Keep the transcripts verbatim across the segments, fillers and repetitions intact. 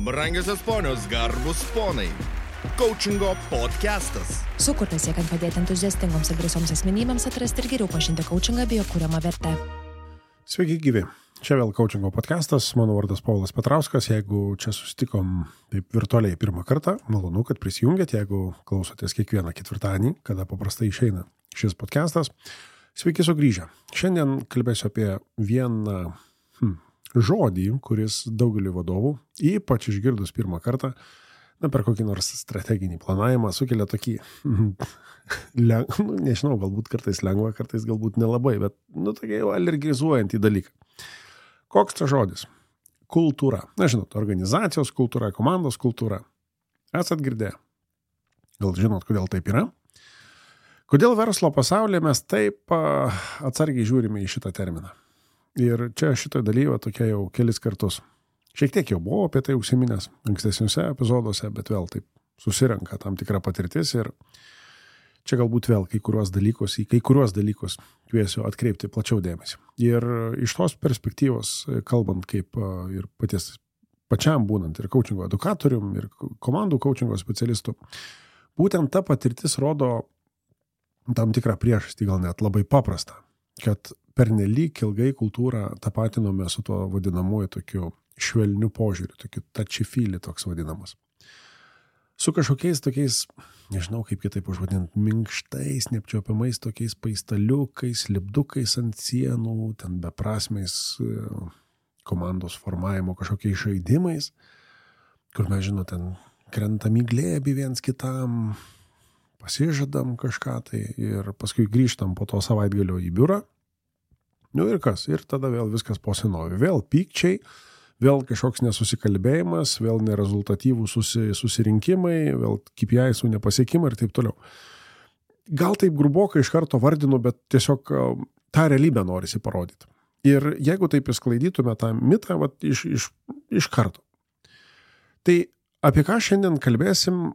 Brangiosios ponios, garbus ponai. Coachingo podcastas. Sukurtas siekiant padėti entuziastingoms ir drąsioms asmenybėms atrasti ir geriau pažinti coachingą bei jo kuriamą vertę. Sveiki gyvi. Čia vėl Coachingo podcastas. Mano vardas Paulas Petrauskas. Jeigu čia susitikom taip virtualiai pirmą kartą, malonu, kad prisijungėt. Jeigu klausotės kiekvieną ketvirtadienį, kada paprastai išeina šis podcastas, sveiki sugrįžę. Šiandien kalbėsiu apie vieną hmm, žodį, kuris daugeliu vadovų, ypač išgirdus pirmą kartą, na, per kokį nors strateginį planavimą, sukelia tokį, leng, nu, nežinau, galbūt kartais lengva, kartais galbūt nelabai, bet, nu, tokia jau alergizuojantį dalyką. Koks tas žodis? Kultūra. Na, žinot, organizacijos kultūra, komandos kultūra. Esat girdėję? Gal žinot, kodėl taip yra? Kodėl verslo pasaulyje mes taip atsargiai žiūrime į šitą terminą? Ir čia šitą dalyvą tokia jau kelis kartus. Šiek tiek jau buvo apie tai užsiminęs ankstesniuose epizoduose, bet vėl taip susirenka tam tikra patirtis ir čia galbūt vėl kai kuriuos dalykus, į kai kuriuos dalykus kviesiu atkreipti plačiau dėmesį. Ir iš tos perspektyvos, kalbant kaip ir paties pačiam būnant ir coachingo edukatorium, ir komandų coachingo specialistų, būtent ta patirtis rodo tam tikrą priežastį, gal net labai paprastą, kad pernelyg ilgai kultūrą tapatinome su tuo vadinamuoju tokiu švelniu požiūriu, tokiu touchy-feely toks vadinamas. Su kažkokiais tokiais, nežinau kaip kitaip užvadinti, minkštais, neapčiuopiamais tokiais paistaliukais, lipdukais ant sienų, ten beprasmiais komandos formavimo kažkokiais žaidimais, kur mes, žinot, ten krentam į glėbį viens kitam, pasižadam kažką tai ir paskui grįžtam po to savaitgalio į biurą. Nu ir kas? Ir tada vėl viskas po senovei. Vėl pykčiai, vėl kažkoks nesusikalbėjimas, vėl nerezultatyvūs susi, susirinkimai, vėl K P I-sų nepasiekimai ir taip toliau. Gal taip grubokai iš karto vardinu, bet tiesiog tą realybę norisi parodyti. Ir jeigu taip įsklaidytume tą mitą, vat, iš, iš, iš karto. Tai apie ką šiandien kalbėsim,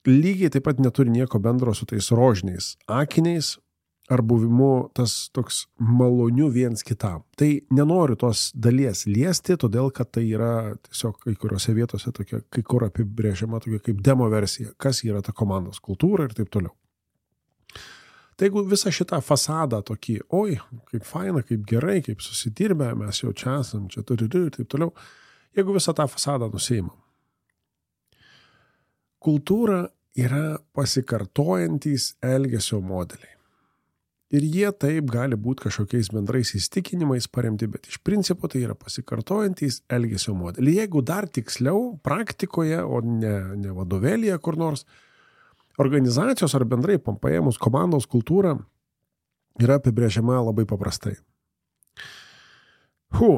lygiai taip pat neturi nieko bendro su tais rožiniais akiniais ar buvimu tas toks maloniu viens kitam. Tai nenoriu tos dalies liesti, todėl kad tai yra tiesiog kai kuriuose vietose tokia, kai kur apibrėžiama tokia kaip demo versija, kas yra ta komandos kultūra ir taip toliau. Tai jeigu visą šitą fasadą tokį, oi, kaip faina, kaip gerai, kaip susidirbę, mes jau čia esam, čia turi ir taip toliau, jeigu visą tą fasadą nusiimam. Kultūra yra pasikartojantys elgesio modeliai. Ir jie taip gali būti kažkokiais bendrais įstikinimais paremti, bet iš principo tai yra pasikartojantys elgesio modeliai. Jeigu dar tiksliau, praktikoje, o ne, ne vadovėlyje kur nors, organizacijos ar bendrai paėmus komandos kultūra yra apibrėžiama labai paprastai. Hu.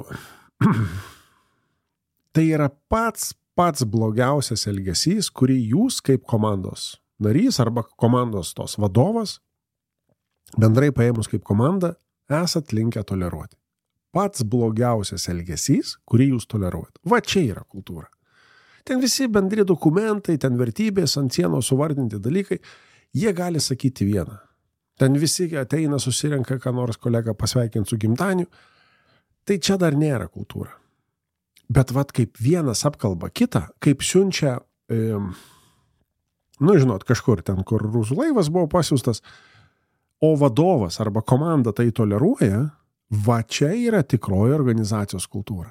Tai yra pats pats blogiausias elgesys, kurį jūs kaip komandos narys arba komandos tos vadovas, bendrai paėmus kaip komanda, esat linkę toleruoti. Pats blogiausias elgesys, kurį jūs toleruojat. Va čia yra kultūra. Ten visi bendri dokumentai, ten vertybės, ant sienos suvardinti dalykai, jie gali sakyti vieną. Ten visi ateina, susirenka, ką nors kolega pasveikinti su gimtadieniu. Tai čia dar nėra kultūra. Bet vat kaip vienas apkalba kitą, kaip siunčia, e, nu žinot, kažkur ten, kur rusų laivas buvo pasiųstas, o vadovas arba komanda tai toleruoja, va čia yra tikroji organizacijos kultūra.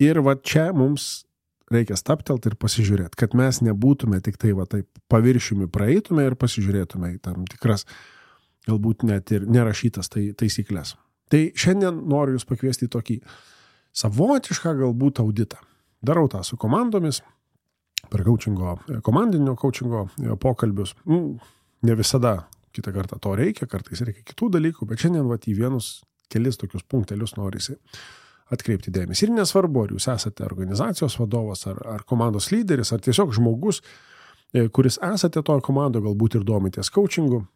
Ir va čia mums reikia staptelti ir pasižiūrėti, kad mes nebūtume tik tai va taip paviršiumi praeitume ir pasižiūrėtume į tam tikras, galbūt net ir nerašytas tai, taisyklės. Tai šiandien noriu jūs pakviesti į tokį savotišką galbūt auditą. Darau tą su komandomis, per coachingo, komandinio coachingo pokalbius. Ne visada kitą kartą to reikia, kartais reikia kitų dalykų, bet šiandien vat į vienus kelis tokius punktelius norisi atkreipti dėmesį. Ir nesvarbu, ar jūs esate organizacijos vadovas, ar, ar komandos lyderis, ar tiesiog žmogus, kuris esate toje komandoje, galbūt ir domitės coachingu,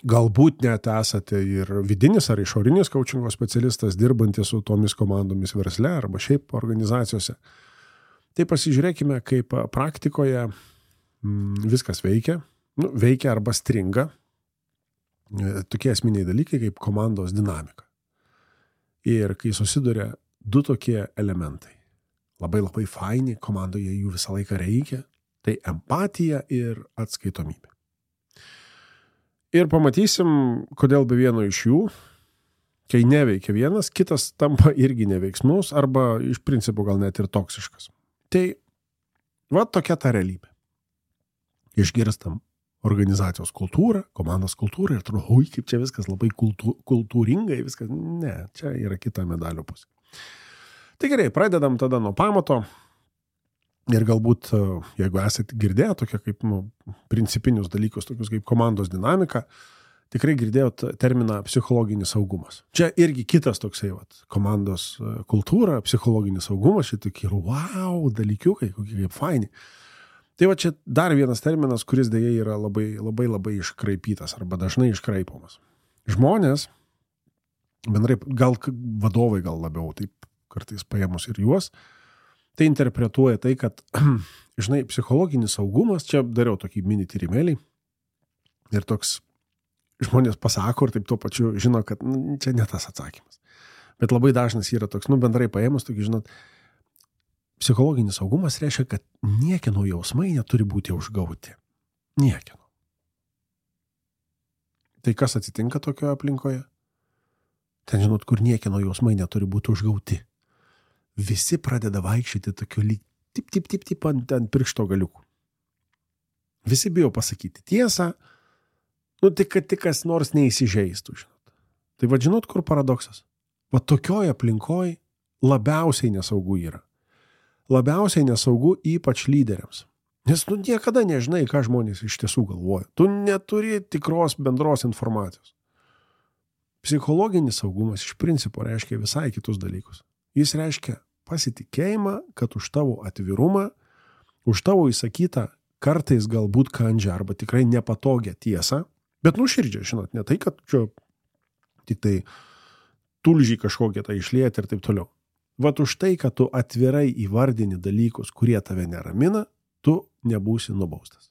galbūt net esate ir vidinis ar išorinis coachingo specialistas, dirbantis su tomis komandomis versle arba šiaip organizacijose. Tai pasižiūrėkime, kaip praktikoje mm, viskas veikia, nu, veikia arba stringa. Tokie esminiai dalykai kaip komandos dinamika. Ir kai susiduria du tokie elementai. labai labai faini, komandoje jų visą laiką reikia, tai empatija ir atskaitomybė. Ir pamatysim, kodėl be vieno iš jų, kai neveikia vienas, kitas tampa irgi neveiksmus arba iš principo gal net ir toksiškas. Tai va tokia ta realybė. Išgirstam organizacijos kultūrą, komandos kultūrą ir atrodo, oi, kaip čia viskas labai kultū, kultūringai, viskas, ne, čia yra kita medalio pusė. Tai gerai, pradedam tada nuo pamato ir galbūt, jeigu esate girdėję tokie kaip nu, principinius dalykus, tokius kaip komandos dinamika, tikrai girdėjot terminą psichologinis saugumas. Čia irgi kitas toksai, vat, komandos kultūra, psichologinis saugumas, čia tokie, wow, dalykiukai, kokie kaip faini. Tai va čia dar vienas terminas, kuris dėja yra labai, labai, labai iškraipytas arba dažnai iškraipomas. Žmonės, bendrai, gal vadovai gal labiau, taip kartais paėmus ir juos, tai interpretuoja tai, kad, žinai, psichologinis saugumas, čia dariau tokį mini tyrimėlį ir toks žmonės pasako ir taip tuo pačiu žino, kad nu, čia ne tas atsakymas. Bet labai dažnas yra toks, nu bendrai paėmus, tokį žinot, psichologinis saugumas reiškia, kad niekieno jausmai neturi būti užgauti. Niekieno. Tai kas atsitinka tokioje aplinkoje? Ten žinot, kur niekieno jausmai neturi būti užgauti. Visi pradeda vaikščioti tokiu lyg tip, tip, tip, tip ant, ant piršto galiukų. Visi bijo pasakyti tiesą, nu tik, kad tik kas nors neįsižeistų, žinot. Tai va žinot, kur paradoksas? Va tokioje aplinkoje labiausiai nesaugu yra. Labiausiai nesaugu ypač lyderiams. Nes tu niekada nežinai, ką žmonės iš tiesų galvoja. Tu neturi tikros bendros informacijos. Psichologinis saugumas iš principo reiškia visai kitus dalykus. Jis reiškia pasitikėjimą, kad už tavo atvirumą, už tavo įsakytą kartais galbūt kandžią arba tikrai nepatogią tiesą, bet nuširdžią, žinot, ne tai, kad čia tik tai tulžiai kažkokie tai išlieti ir taip toliau. Vat už tai, kad tu atvirai įvardini dalykus, kurie tave neramina, tu nebūsi nubaustas.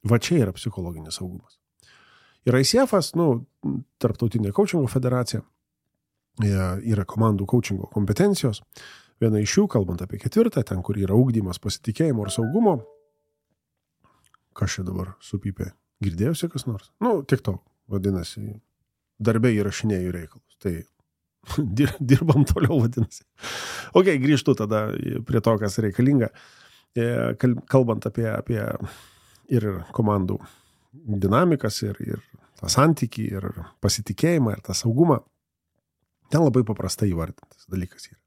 Va čia yra psichologinis saugumas. Ir I C F-as, nu, Tarptautinė coachingo federacija, yra komandų coachingo kompetencijos. Viena iš jų, kalbant apie ketvirtą, ten, kur yra ugdymas pasitikėjimo ir saugumo. Kas čia dabar supypė? Girdėjusi kas nors? Nu, tik to, vadinasi, darbė įrašinėjų reikalus. Tai dirbam toliau, vadinasi. Ok, grįžtu tada prie to, kas reikalinga. Kalbant apie, apie ir komandų dinamikas, ir, ir tą santykį, ir pasitikėjimą, ir tą saugumą, ten labai paprastai įvardintas dalykas yra.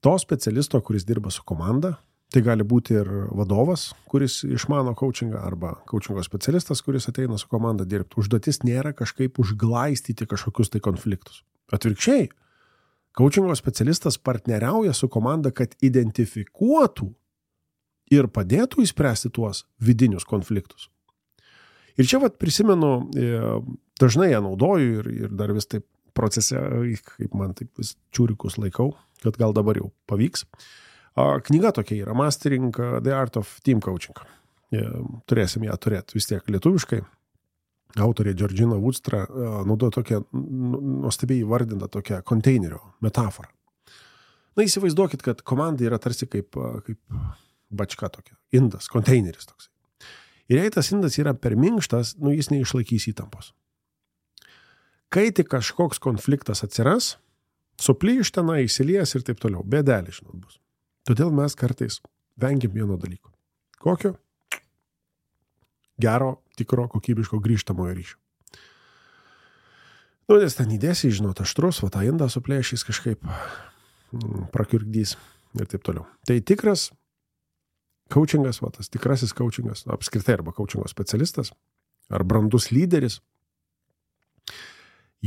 To specialisto, kuris dirba su komanda, tai gali būti ir vadovas, kuris išmano coachingą, arba coachingo specialistas, kuris ateina su komanda dirbti. Užduotis nėra kažkaip užglaistyti kažkokius tai konfliktus. Atvirkščiai, coachingo specialistas partneriauja su komanda, kad identifikuotų ir padėtų įspręsti tuos vidinius konfliktus. Ir čia vat prisimenu, dažnai ją naudoju ir, ir dar vis taip procese, kaip man taip vis čiūrikus laikau, kad gal dabar jau pavyks. Knyga tokia yra, Mastering the Art of Team Coaching. Turėsim ją turėti vis tiek lietuviškai. Autorė Georgina Woodstra naudoja tokią nuostabiai įvardintą tokią konteinerio metaforą. Na, įsivaizduokit, kad komanda yra tarsi kaip, kaip bačka tokia, indas, konteineris toksai. Ir jei tas indas yra per minkštas, nu, jis neišlaikys įtampos. Kai tik kažkoks konfliktas atsiras, suplyš tenai, įsilies ir taip toliau, bėdelė, žinot, bus. Todėl mes kartais vengiam vieno dalyko. Kokio? Gero, tikro, kokybiško grįžtamojo ryšio. Nu, nes ten įdėsi, žinot, aštrus, va tą indą suplėšys kažkaip, prakiurkdys ir taip toliau. Tai tikras coachingas, va tas tikrasis coachingas, apskritai arba coachingo specialistas, ar brandus lyderis,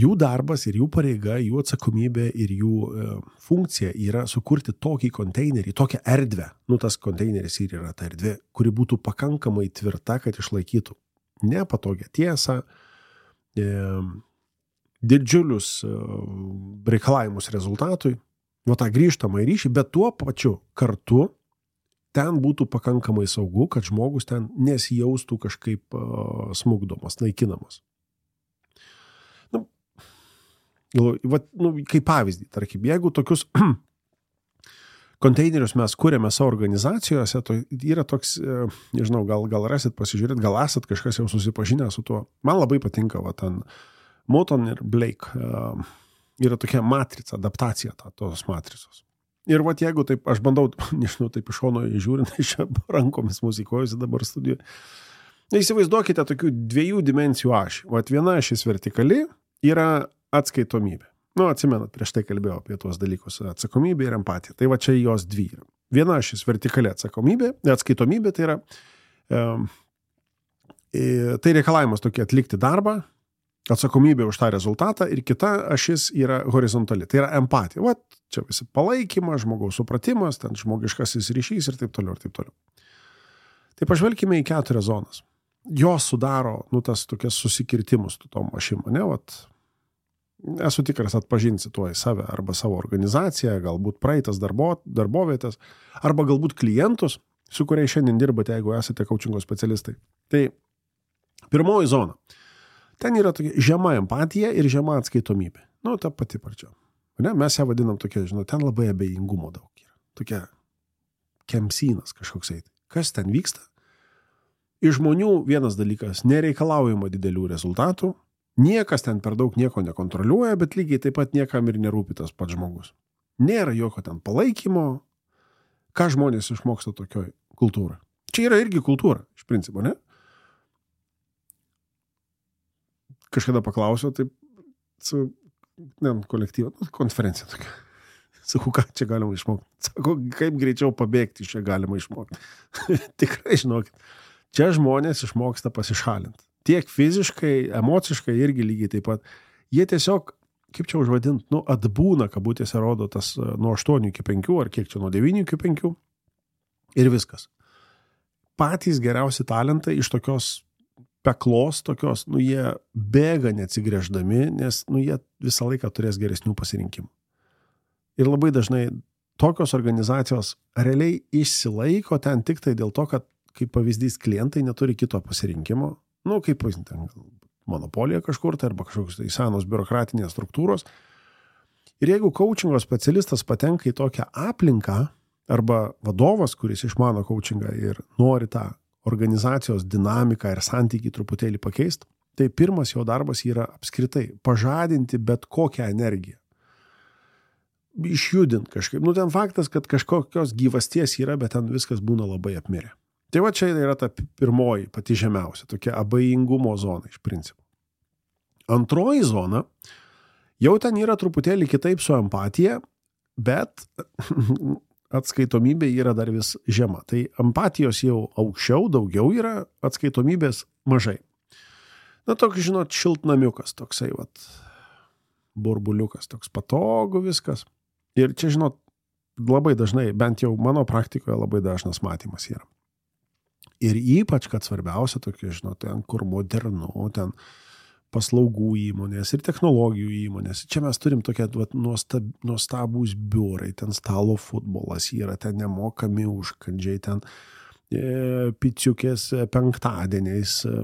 jų darbas ir jų pareiga, jų atsakomybė ir jų e, funkcija yra sukurti tokį konteinerį, tokią erdvę. Nu, tas konteineris ir yra ta erdvė, kuri būtų pakankamai tvirta, kad išlaikytų nepatogią tiesą, e, didžiulius e, reikalavimus rezultatui, nu, tą grįžtamą ryšį, bet tuo pačiu kartu ten būtų pakankamai saugu, kad žmogus ten nesijaustų kažkaip e, smugdomas, naikinamas. Nu, va, nu, kaip pavyzdį, tarkim, jeigu tokius konteinerius mes kūrėme savo organizacijose, to yra toks, nežinau, gal, gal rasit pasižiūrėti, gal esat kažkas jau susipažinę su tuo. Man labai patinka, va, ten Moton ir Blake uh, yra tokia matrica, adaptacija ta, tos matricos. Ir va, jeigu taip, aš bandau, nežinau, taip iš šono žiūrint, iš rankomis muzikuojusi dabar studijoje. Įsivaizduokite tokių dviejų dimensijų ašį. Va, viena ašis vertikali yra atskaitomybė. Nu, atsimenat, prieš tai kalbėjau apie tuos dalykus, atsakomybė ir empatija. Tai va čia jos dvi yra. Viena ašis vertikali atsakomybė, atskaitomybė, tai yra e, tai reikalavimas tokie atlikti darbą, atsakomybė už tą rezultatą ir kita ašis yra horizontali, tai yra empatija. Va, čia visi palaikymas, žmogaus supratimas, ten žmogiškasis ryšys ir taip toliau ir taip toliau. Tai pažvelkime į keturias zonas. Jos sudaro, nu, tas tokias susikirtimus tu tom ašim, ne, vat, esu tikras atpažinsi tuo į save arba savo organizaciją, galbūt praeitas darbo, darbovietės, arba galbūt klientus, su kuriais šiandien dirbate, jeigu esate coachingo specialistai. Tai pirmoji zona. Ten yra tokia žema empatija ir žema atskaitomybė. Nu, ta pati pradžia. Ne? Mes ją vadinam tokia, žinau, ten labai abejingumo daug yra. Tokia kemsynas kažkoks eiti. Kas ten vyksta? Iš žmonių vienas dalykas, nereikalaujama didelių rezultatų, niekas ten per daug nieko nekontroliuoja, bet lygiai taip pat niekam ir nerūpi tas pats žmogus. Nėra jokio ten palaikymo. Ką žmonės išmoksta tokioj kultūrai? Čia yra irgi kultūra, iš principo, ne? Kažkada paklausiau, taip, su, ne, kolektyva, konferencija tokia. Sakau, ką čia galima išmokti? Sakau, kaip greičiau pabėgti iš čia galima išmokti. Tikrai, žinokit, čia žmonės išmoksta pasišalinti. Tiek fiziškai, emociškai irgi lygiai taip pat. Jie tiesiog, kaip čia užvadint, nu, atbūna, kabutėse rodo tas nuo aštuonių iki penkių, ar kiek čia nuo devynių iki penkių. Ir viskas. Patys geriausi talentai iš tokios peklos, tokios, nu, jie bėga neatsigręždami, nes, nu, jie visą laiką turės geresnių pasirinkimų. Ir labai dažnai tokios organizacijos realiai išsilaiko ten tik tai dėl to, kad, kaip pavyzdys, klientai neturi kito pasirinkimo. Nu, kaip ten, monopolija kažkur, tai arba kažkokios tai senos biurokratinės struktūros. Ir jeigu coachingo specialistas patenka į tokią aplinką, arba vadovas, kuris išmano coachingą ir nori tą organizacijos dinamiką ir santykį truputėlį pakeisti, tai pirmas jo darbas yra apskritai pažadinti bet kokią energiją. Išjudint kažkaip. Nu, ten faktas, kad kažkokios gyvasties yra, bet ten viskas būna labai apmirę. Tai va čia yra ta pirmoji, pati žemiausia, tokia abejingumo zona iš principo. Antroji zona, jau ten yra truputėlį kitaip su empatija, bet atskaitomybė yra dar vis žema. Tai empatijos jau aukščiau, daugiau yra, atskaitomybės mažai. Na, toks, žinot, šiltnamiukas, toksai, vat, burbuliukas, toks patogu viskas. Ir čia, žinot, labai dažnai, bent jau mano praktikoje labai dažnas matymas yra. Ir ypač, kad svarbiausia tokie, žinot, ten, kur modernu, ten paslaugų įmonės ir technologijų įmonės. Čia mes turim tokie vat, nuostab, nuostabūs biurai, ten stalo futbolas yra, ten nemokami užkandžiai, ten e, piciukės penktadieniais, e,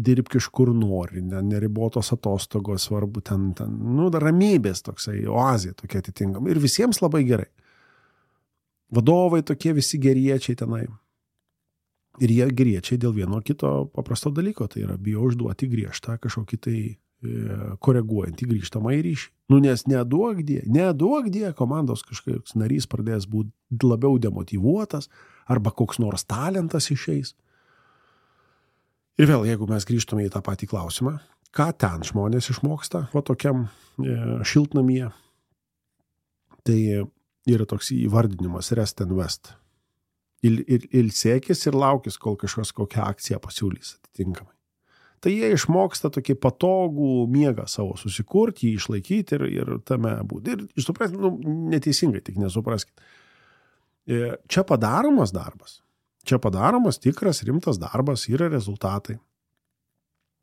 dirbk iš kur nori, ne, neribotos atostogos, svarbu, ten, ten, nu, ramybės toksai, oazė tokia atitinkama. Ir visiems labai gerai. Vadovai tokie visi geriečiai tenai. Ir jie griečiai dėl vieno kito paprasto dalyko, tai yra bijo užduoti griežtą kažkokį tai e, koreguojantį grįžtamą į ryšį. Nu, nes neduok die, neduok die, komandos kažkoks narys pradės būti labiau demotyvuotas, arba koks nors talentas išeis. Ir vėl, jeigu mes grįžtume į tą patį klausimą, ką ten žmonės išmoksta, va tokiam e, šiltnamyje, tai yra toks įvardinimas rest and west. Il, il, ilsėkis ir laukis, kol kažkas kokią akciją pasiūlys atitinkamai. Tai jie išmoksta tokį patogų miegą savo susikurti, jį išlaikyti ir, ir tame būti. Ir supraskite, nu, neteisingai, tik nesupraskite. Čia padaromas darbas, čia padaromas tikras rimtas darbas, yra rezultatai.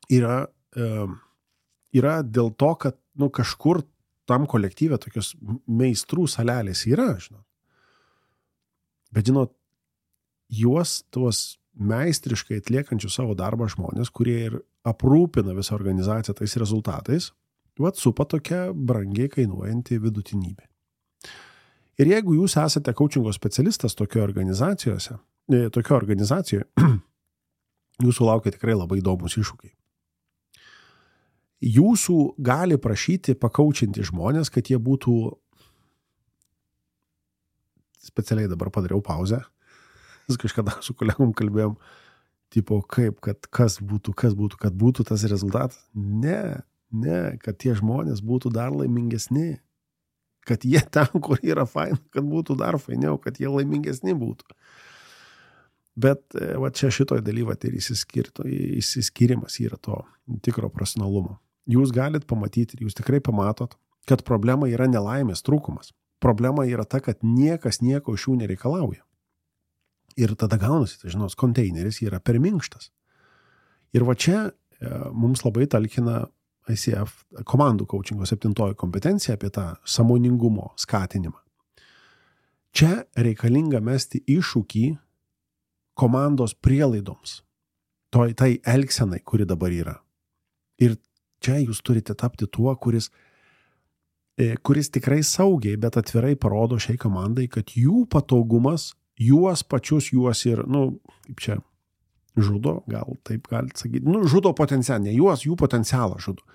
Yra, e, yra dėl to, kad nu, kažkur tam kolektyve tokios meistrų salelės yra, žinot. Bet, žinot, juos tuos meistriškai atliekančių savo darbą žmonės, kurie ir aprūpina visą organizaciją tais rezultatais, vat supa tokia brangiai kainuojanti vidutinybė. Ir jeigu jūs esate coachingo specialistas tokio organizacijose, tokio organizacijoje, jūsų laukia tikrai labai įdomus iššūkiai. Jūsų gali prašyti pakaučinti žmonės, kad jie būtų, specialiai dabar padariau pauzę, vis kažkada su kolegom kalbėjom, tipo, kaip, kad kas būtų, kas būtų, kad būtų tas rezultatas. Ne, ne, kad tie žmonės būtų dar laimingesni, kad jie ten, kur yra faina, kad būtų dar fainiau, kad jie laimingesni būtų. Bet va čia šitoj dalyvat ir įsiskirimas yra to tikro profesionalumo. Jūs galit pamatyti ir jūs tikrai pamatot, kad problema yra nelaimės trūkumas. Problema yra ta, kad niekas nieko iš jų nereikalauja. Ir tada gaunasi, tai žinos, konteineris yra per minkštas. Ir va čia e, mums labai talkina I C F komandų coachingo septintoji kompetencija apie tą sąmoningumo skatinimą. Čia reikalinga mesti iššūkį komandos prielaidoms, toj, tai elgsenai, kuri dabar yra. Ir čia jūs turite tapti tuo, kuris, e, kuris tikrai saugiai, bet atvirai parodo šiai komandai, kad jų patogumas, juos pačius, juos ir, nu, kaip čia, žudo, gal taip galite sakyti, nu, žudo potencialą, ne juos, jų potencialą žudo.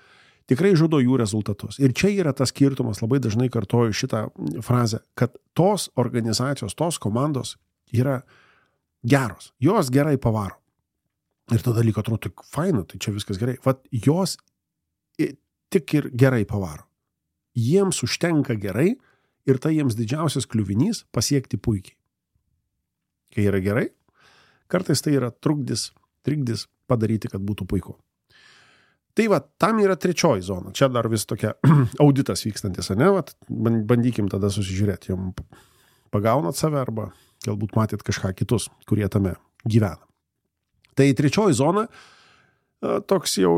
Tikrai žudo jų rezultatus. Ir čia yra tas skirtumas, labai dažnai kartoju šitą frazę, kad tos organizacijos, tos komandos yra geros, jos gerai pavaro. Ir tada liko atrodo, tik faina, tai čia viskas gerai. Vat jos tik ir gerai pavaro. Jiems užtenka gerai ir tai jiems didžiausias kliuvinys pasiekti puikiai. Kai yra gerai, kartais tai yra trukdis, trikdis padaryti, kad būtų puiku. Tai va, tam yra trečioji zona. Čia dar vis tokia auditas vykstantis, ne? Vat, bandykim tada susižiūrėti, jom pagaunat save arba galbūt matėt kažką kitus, kurie tame gyvena. Tai trečioji zona, toks jau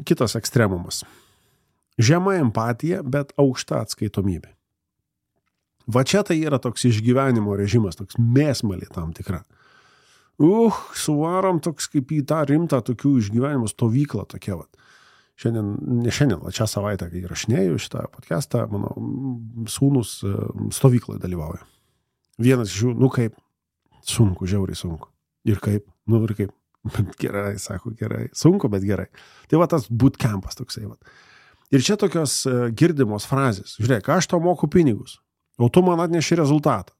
kitas ekstremumas. Žema empatija, bet aukšta atskaitomybė. Va čia tai yra toks išgyvenimo režimas, toks mėsmalė tam tikra. Uh, suvarom toks kaip į tą rimtą tokių išgyvenimo stovyklą tokia va. Šiandien, ne šiandien, va čia savaitę, kai rašinėjau šitą podcastą, mano sūnus stovykloje dalyvauja. Vienas iš jų, nu kaip, sunku, žiauriai sunku. Ir kaip, nu ir kaip, bet gerai, sako, gerai, sunku, bet gerai. Tai va tas bootcampas toksai va. Ir čia tokios girdimos frazės. Žiūrėk, aš tau moku pinigus, o tu man atneši rezultatą.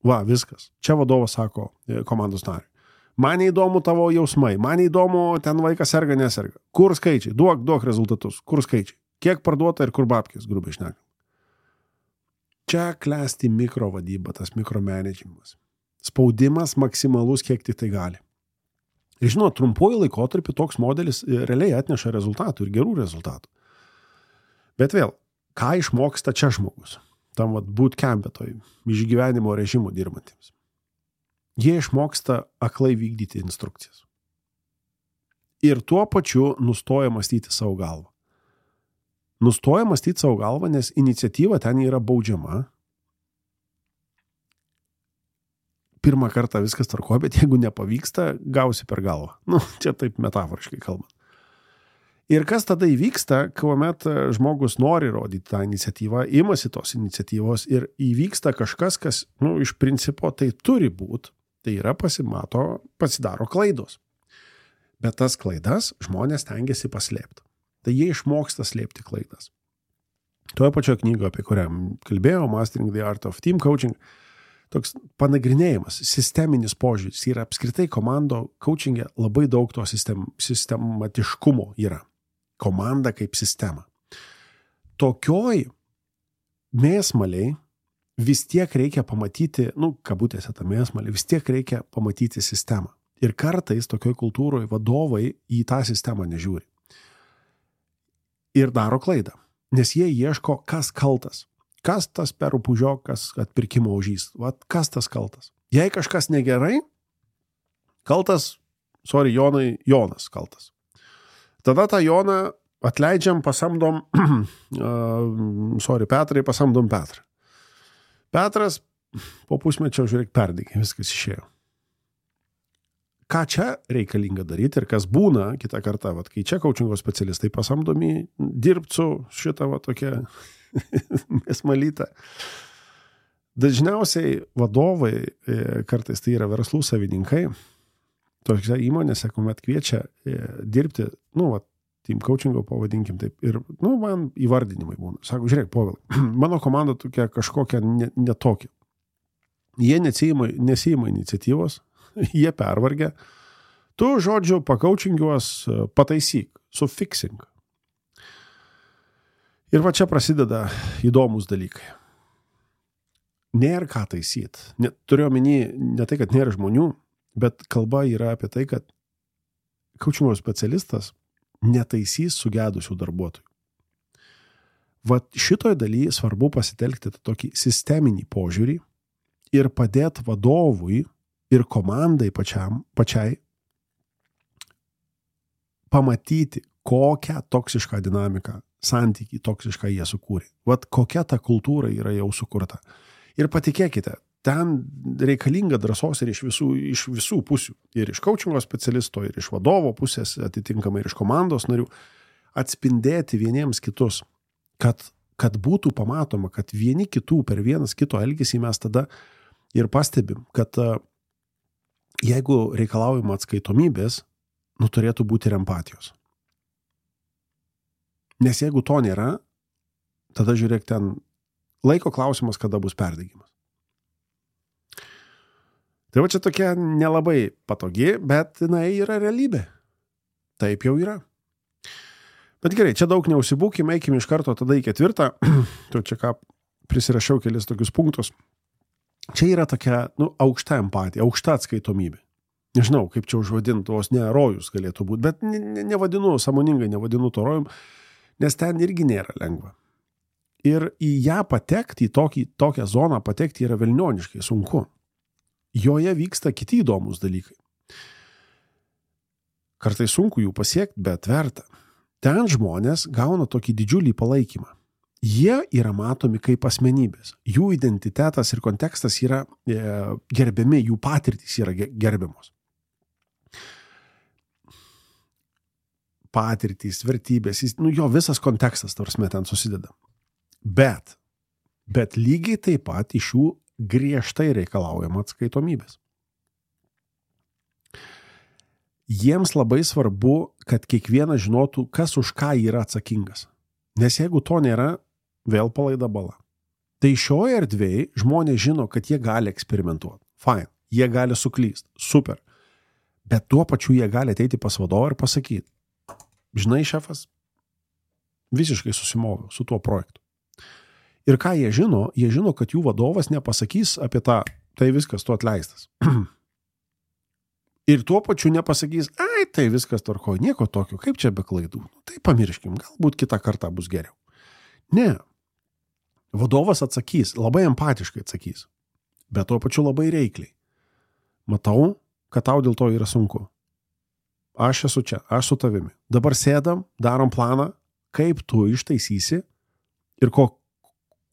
Va, viskas. Čia vadovas sako komandos nariui. Man įdomu tavo jausmai, man įdomu ten vaikas serga, neserga. Kur skaičiai? Duok, duok rezultatus. Kur skaičiai? Kiek parduota ir kur babkės, grubiai šnekam. Čia klesti mikrovadyba, tas mikromanagemas. Spaudimas maksimalus, kiek tik tai gali. Ir žinot, trumpuoju laikotarpiu toks modelis realiai atneša rezultatų ir gerų rezultatų. Bet vėl, ką išmoksta čia žmogus? Tam vat bootcamp'e toj išgyvenimo režimo dirbantiems. Jie išmoksta aklai vykdyti instrukcijas. Ir tuo pačiu nustoja mąstyti savo galvą. Nustoja mąstyti savo galvą, nes iniciatyva ten yra baudžiama. Pirmą kartą viskas tvarkoja, bet jeigu nepavyksta, gausi per galvą. Nu, čia taip metaforiškai kalbant. Ir kas tada įvyksta, kuomet žmogus nori rodyti tą iniciatyvą, imasi tos iniciatyvos ir įvyksta kažkas, kas, nu, iš principo tai turi būti, tai yra pasimato, pasidaro klaidos. Bet tas klaidas žmonės tengiasi paslėpti. Tai jie išmoksta slėpti klaidas. Toje pačioje knygoje, apie kurią kalbėjau, Mastering the Art of Team Coaching, toks panagrinėjimas, sisteminis požiūris yra apskritai komando coachingė labai daug to sistem, sistematiškumo yra. Komanda kaip sistema. Tokioj mėsmaliai vis tiek reikia pamatyti, nu, kabutėse tą mėsmalį, vis tiek reikia pamatyti sistemą. Ir kartais tokioj kultūroje vadovai į tą sistemą nežiūri. Ir daro klaidą, nes jie ieško, kas kaltas. Kas tas perų pužiokas atpirkimo ožys? Vat kas tas kaltas? Jei kažkas negerai, kaltas, sorry, Jonai, Jonas kaltas. Tada tą Joną atleidžiam, pasamdom, uh, sorry, Petrai, pasamdom Petrą. Petras po pusmečio, žiūrėk, perdegė, viskas išėjo. Ką čia reikalinga daryti ir kas būna kitą kartą, vat, kai čia coachingo specialistai pasamdomi dirbti su šitą va tokia mėsmalytą. Dažniausiai vadovai, kartais tai yra verslų savininkai, tokiose įmonėse, kuomet kviečia dirbti, nu, va, team coachingo pavadinkim taip, ir, nu, man įvardinimai būna. Sako, žiūrėk, Povilai, mano komanda tokia kažkokia netokia. Jie nesijima, nesijima iniciatyvos, jie pervargia. Tu, žodžiu, pakaučingiuos, pataisyk, sufixing. Ir va čia prasideda įdomus dalykai. Nėra ką taisyt. Ne, turiu omeny ne tai, kad nėra žmonių, bet kalba yra apie tai, kad kaučingo specialistas netaisys sugedusių darbuotojų. Vat šitoj dalyje svarbu pasitelkti tokį sisteminį požiūrį ir padėti vadovui ir komandai pačiam, pačiai pamatyti, kokią toksišką dinamiką, santykį toksišką jie sukūrė. Vat kokia ta kultūra yra jau sukurta. Ir patikėkite, ten reikalinga drąsos ir iš visų, iš visų pusių. Ir iš coachingo specialisto, ir iš vadovo pusės, atitinkamai ir iš komandos narių, atspindėti vieniems kitus, kad, kad būtų pamatoma, kad vieni kitų per vienas kito elgesį mes tada ir pastebim, kad jeigu reikalaujama atskaitomybės, nu turėtų būti ir empatijos. Nes jeigu to nėra, tada žiūrėk ten laiko klausimas, kada bus perdegimas. Tai va čia tokia nelabai patogi, bet jinai yra realybė. Taip jau yra. Bet gerai, čia daug neužsibūkim, eikim iš karto tada į ketvirtą. Tu čia ką prisirašiau kelis tokius punktus. Čia yra tokia, nu, aukšta empatija, aukšta atskaitomybė. Nežinau, kaip čia užvadinti, vos ne rojus galėtų būti, bet ne, ne, nevadinu, sąmoningai nevadinu to rojum, nes ten irgi nėra lengva. Ir į ją patekti, į tokį, tokią zoną patekti yra velnioniškai sunku. Joje vyksta kiti įdomus dalykai. Kartais sunku jų pasiekti, bet verta. Ten žmonės gauna tokį didžiulį palaikymą. Jie yra matomi kaip asmenybės. Jų identitetas ir kontekstas yra e, gerbiami, jų patirtys yra gerbiamos. Patirtys, vertybės, nu jo visas kontekstas, tarsi ten susideda. Bet, bet lygiai taip pat iš jų griežtai reikalaujama atskaitomybės. Jiems labai svarbu, kad kiekvienas žinotų, kas už ką yra atsakingas. Nes jeigu to nėra, vėl palaida bala. Tai šioje erdvėje žmonės žino, kad jie gali eksperimentuoti. Fine, jie gali suklysti. Super. Bet tuo pačiu jie gali ateiti pas vadovą ir pasakyti, žinai, šefas, visiškai susimoviau su tuo projektu. Ir ką jie žino, jie žino, kad jų vadovas nepasakys apie tą, tai viskas, tu atleistas. Ir tuo pačiu nepasakys, ai, tai viskas tvarkoj, nieko tokio, kaip čia be klaidų. Tai pamirškim, galbūt kitą kartą bus geriau. Ne. Vadovas atsakys, labai empatiškai atsakys, bet tuo pačiu labai reikliai. Matau, kad tau dėl to yra sunku. Aš esu čia, aš su tavimi. Dabar sėdam, darom planą, kaip tu ištaisysi ir ko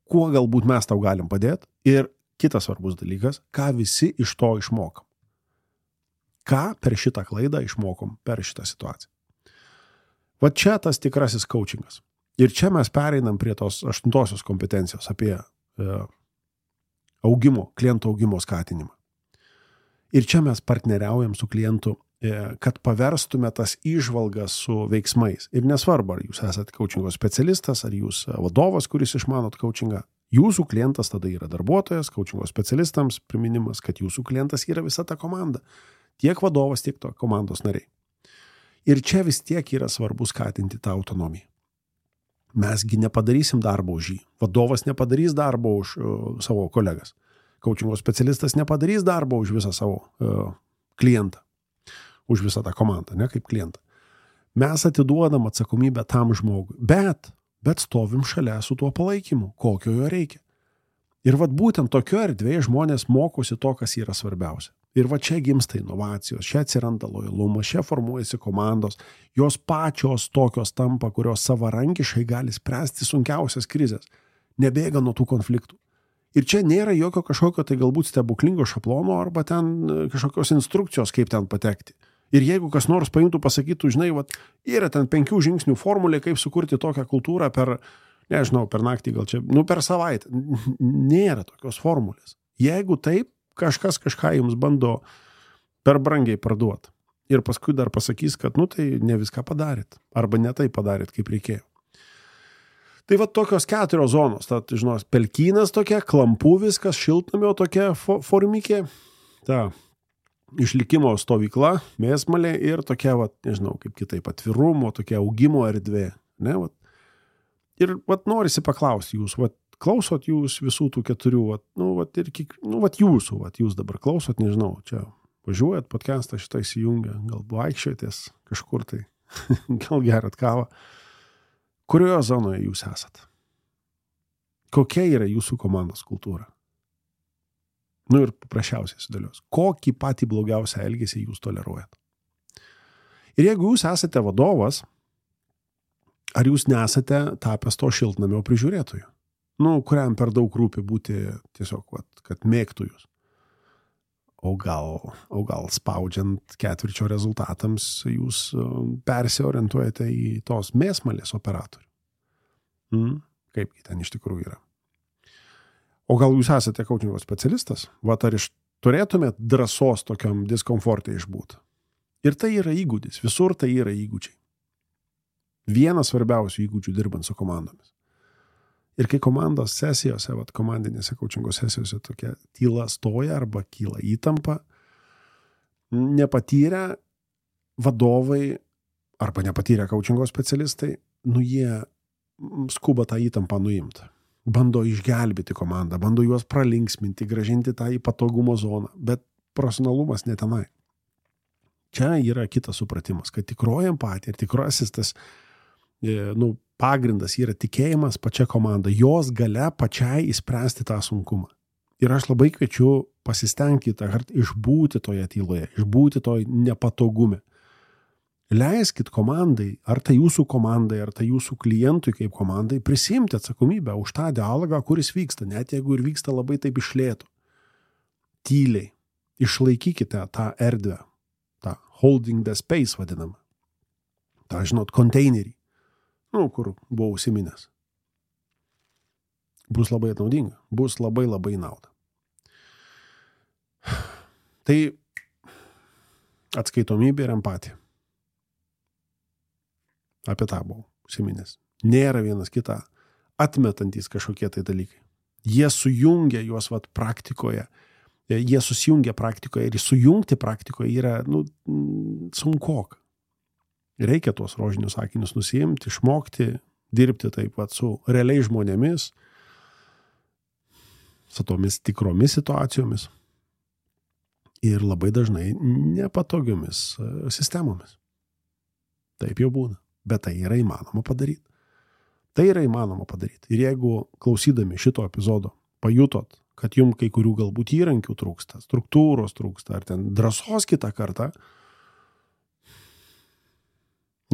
kuo galbūt mes tau galim padėti ir kitas svarbus dalykas, ką visi iš to išmokam. Ką per šitą klaidą išmokom per šitą situaciją. Va čia tas tikrasis coachingas. Ir čia mes pereinam prie tos aštuntosios kompetencijos apie e, augimo, klientų augimo skatinimą. Ir čia mes partneriaujam su klientu, e, kad paverstume tas įžvalgas su veiksmais. Ir nesvarbu, ar jūs esate coachingo specialistas, ar jūs vadovas, kuris išmanot coachingą. Jūsų klientas tada yra darbuotojas, coachingo specialistams priminimas, kad jūsų klientas yra visa ta komanda. Tiek vadovas, tiek to komandos nariai. Ir čia vis tiek yra svarbu skatinti tą autonomiją. Mesgi nepadarysim darbo už jį. Vadovas nepadarys darbo už uh, savo kolegas. Coachingo specialistas nepadarys darbo už visą savo uh, klientą. Už visą tą komandą, ne kaip klientą. Mes atiduodam atsakomybę tam žmogui. Bet, bet stovim šalia su tuo palaikymu, kokio jo reikia. Ir vat būtent tokio erdvėje žmonės mokosi to, kas yra svarbiausia. Ir va čia gimsta inovacijos, čia atsiranda lojalumas, čia formuojasi komandos, jos pačios tokios tampa, kurios savarankiškai gali spręsti sunkiausias krizės, nebėga nuo tų konfliktų. Ir čia nėra jokio kažkokio tai galbūt stebuklingo šablono arba ten kažkokios instrukcijos, kaip ten patekti. Ir jeigu kas nors paimtų, pasakytų, žinai, vat, yra ten penkių žingsnių formulė, kaip sukurti tokią kultūrą per, nežinau, per naktį gal čia, nu per savaitę. Nėra tokios formulės. Jeigu taip, kažkas kažką jums bando per brangiai parduoti. Ir paskui dar pasakys, kad, nu tai ne viską padarėt. Arba ne tai padarėt, kaip reikėjo. Tai va tokios keturios zonos. Tad, žinot, pelkynas tokia, klampų viskas, šiltnamio tokia formikė. Ta išlikimo stovykla, mėsmalė ir tokia, va, nežinau, kaip kitaip, atvirumo, tokia augimo erdvė. Ne, va. Ir vat, norisi paklausti jūs, vat, klausot jūs visų tų keturių, vat, nu, vat, ir kiek, nu, vat, jūsų, vat, jūs dabar klausot, nežinau, čia važiuojat, podcastą šitą įsijungia, gal vaikščiotės kažkur tai, gal gerat kavą. Kurioje zonoje jūs esat? Kokia yra jūsų komandos kultūra? Nu ir paprasčiausiai sudėlios. Kokį patį blogiausią elgesį jūs toleruojat? Ir jeigu jūs esate vadovas, ar jūs nesate tapęs to šiltnamio prižiūrėtoju? Nu, kuriam per daug rūpi būti tiesiog, vat, kad mėgtų jūs. O gal, o gal spaudžiant ketvirčio rezultatams jūs persiorientuojate į tos mėsmalės operatorių. Mm, kaip ten iš tikrųjų yra. O gal jūs esate coachingo specialistas? Vat ar iš turėtumėt drąsos tokiam diskomfortui išbūti? Ir tai yra įgūdis. Visur tai yra įgūdžiai. Vienas svarbiausių įgūdžių dirbant su komandomis. Ir kai komandos sesijose, vat, komandinėse coachingo sesijose tokia tyla stoja arba kyla įtampa, nepatyrę vadovai arba nepatyrę coachingo specialistai, nu jie skuba tą įtampą nuimti. Bando išgelbėti komandą, bando juos pralinksminti, gražinti tą į patogumo zoną, bet profesionalumas ne tenai. Čia yra kitas supratimas, kad tikroji empatija ir tikrasis tas nu, pagrindas yra tikėjimas pačia komanda, jos gale pačiai įspręsti tą sunkumą. Ir aš labai kviečiu pasistengti tą kartą išbūti toje tyloje, išbūti toj nepatogume. Leiskit komandai, ar tai jūsų komandai, ar tai jūsų klientui kaip komandai, prisimti atsakomybę už tą dialogą, kuris vyksta, net jeigu ir vyksta labai taip iš lėto. Tyliai. Išlaikykite tą erdvę, tą holding the space vadinamą. tą, žinot, konteinerį, nu, kur buvau užsiminęs. Bus labai naudinga, bus labai labai nauda. Tai atskaitomybė ir empatija. Apie tą buvau užsiminęs. Nėra vienas kitą atmetantys kažkokie tai dalykai. Jie sujungia juos vat praktikoje. Jie susijungia praktikoje ir sujungti praktikoje yra, nu, sunkoka. Reikia tuos rožinius akinius nusiimti, išmokti, dirbti taip pat su realiai žmonėmis, su tomis tikromis situacijomis ir labai dažnai nepatogiomis sistemomis. Taip jau būna, bet tai yra įmanoma padaryti. Tai yra įmanoma padaryti. Ir jeigu klausydami šito epizodo pajutot, kad jums kai kurių galbūt įrankių trūksta, struktūros trūksta, ar ten drąsos kitą kartą,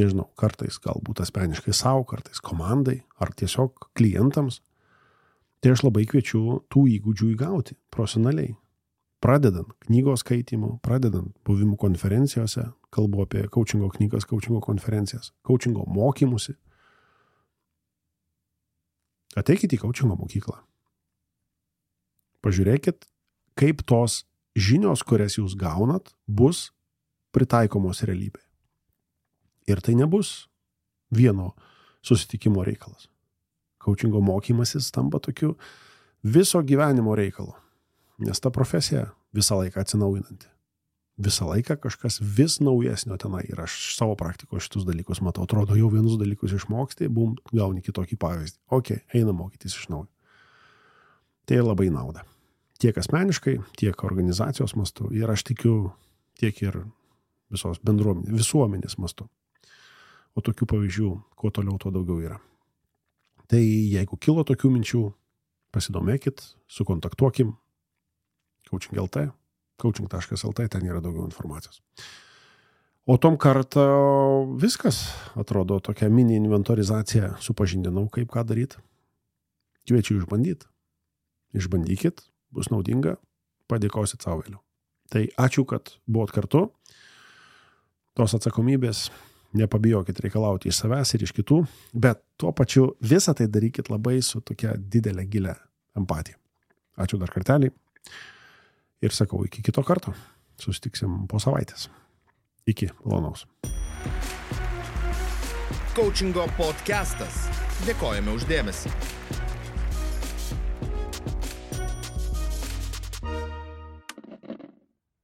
nežinau, kartais galbūt asmeniškai savo, kartais komandai, ar tiesiog klientams, tai aš labai kviečiu tų įgūdžių įgauti profesionaliai. Pradedant knygos skaitymu, pradedant buvimų konferencijose, kalbu apie coachingo knygas, coachingo konferencijas, coachingo mokymusi. Ateikite į coachingo mokyklą. Pažiūrėkit, kaip tos žinios, kurias jūs gaunat, bus pritaikomos realybėje. Ir tai nebus vieno susitikimo reikalas. Coachingo mokymasis tampa tokiu viso gyvenimo reikalu. Nes ta profesija visą laiką atsinaujinanti. Visą laiką kažkas vis naujesnio tenai. Ir aš savo praktikoje šitus dalykus matau. Atrodo, jau vienus dalykus išmoksti, bum, gauni kitokį pavyzdį. Ok, eina mokytis iš naujo. Tai labai nauda. Tiek asmeniškai, tiek organizacijos mastu. Ir aš tikiu tiek ir visos bendruomenės, visuomenės mastu. O tokių pavyzdžių, kuo toliau, tuo daugiau yra. Tai jeigu kilo tokių minčių, pasidomėkit, sukontaktuokim. Coaching taškas lt, coaching taškas lt, ten yra daugiau informacijos. O tom kartą viskas, atrodo, tokia mini inventorizacija, supažindinau, kaip ką daryti. Kviečiu išbandyti. Išbandykit, bus naudinga, padėkosit savo vėliau. Tai ačiū, kad buvot kartu. Tos atsakomybės nepabijokit reikalauti iš savęs ir iš kitų, bet tuo pačiu visą tai darykit labai su tokia didelė gilia empatija. Ačiū dar kartelį ir sakau iki kito karto. Susitiksim po savaitės. Iki malonaus. Coachingo podcastas. Dėkojame už dėmesį.